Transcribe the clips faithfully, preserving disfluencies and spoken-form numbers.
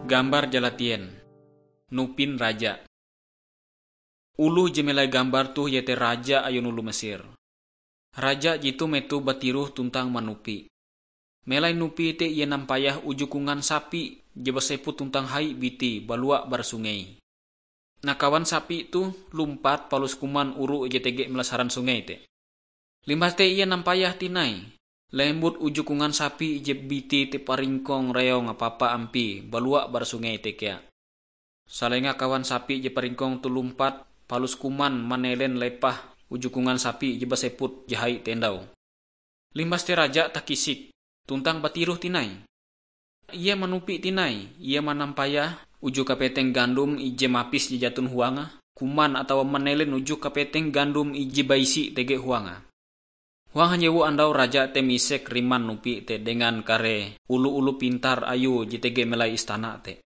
Gambar jalatien. Nupin raja. Oloh je melai gambar toh iete raja ayun oloh Mesir. Raja jetoh metoh batiroh tuntang manupi. Melai nupi te ie nampayah uju kongan sapi je baseput tuntang hai biti balua bara sungei. Nah, kawan sapi toh lumpat palus kuman oru je tege melasaran sungei te. Limbas te ie nampayah tinai, lembut uju kongan sapi je biti te paringkong reong apapa ampie balua bara sungei te kea. Salenga kawan sapi je paringkong toh lumpat, palus kuman manelen lepah uju kongan sapi je baseput je hai te endau. Limbas te raja takisik, tuntang batiroh tinai. Ie manupi tinai, ie manampayah uju kapeteng gandom ije mapis je jaton huange, kuman atawa manelen uju kapeteng gandom ije baisi tege huange. Huang hanjewu andau raja te misek riman nupi te dengan kare oloh-oloh pintar ayue je tege melai istana te.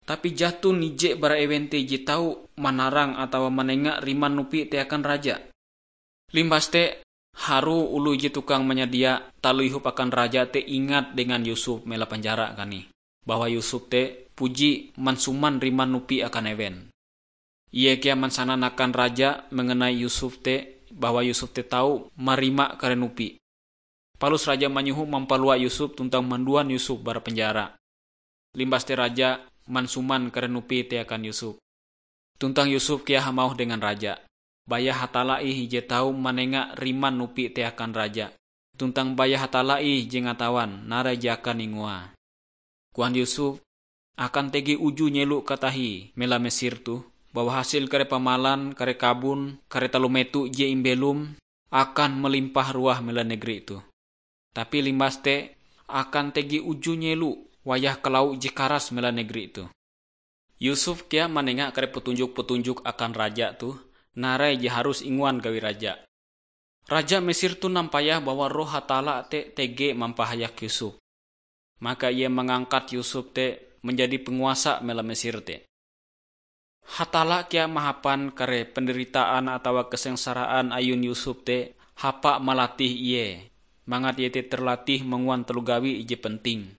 Tapi jaton ije bara ewen te je tau manarang atawa manenga riman nupi te akan raja. Limbas te, harue oloh je tukang manyadia taloh ihop akan raja te ingat dengan Yusuf mela penjara kanih, bahwa Yusuf te puji mansuman riman nupi akan ewen. Ie kea mansanan akan raja mengenai Yusuf te, bahwa Yusuf te tau marima kare nupi. Palus raja manyoho mampalua Yusuf tuntang manduan Yusuf bara penjara. Limbas te raja mansuman kare nupi te akan Yusuf. Tuntang Yusuf kea hamauh dengan raja, "Baya Hatalla ih je tau manenga riman nupi te akan raja, tuntang baya Hatalla ih je ngatawan narai je akan ingoae." Koan Yusuf, "Akan tege uju nyelo katahie mela Mesir toh, bahwa hasil kare pamalan, kare kabon, kare taloh meto je imbelom, akan malimpah ruah mela negeri toh. Tapi limbas te, akan tege uju nyelo wayah kalawa je karas mela negeri toh." Yusuf kea manenga kare petunjok-petunjok akan raja toh, narai je harus ingoan gawi raja. Raja Mesir toh nampayah bahwa Roh Hatalla te tege mampahayak Yusuf. Maka ie mangangkat Yusuf te manjadi penguasa mela Mesir te. Hatalla kea mahapan kare penderitaan atawa kesengsaraan ayun Yusuf te hapa malatih ie, mangat ie te terlatih manguan taloh gawi ije penting.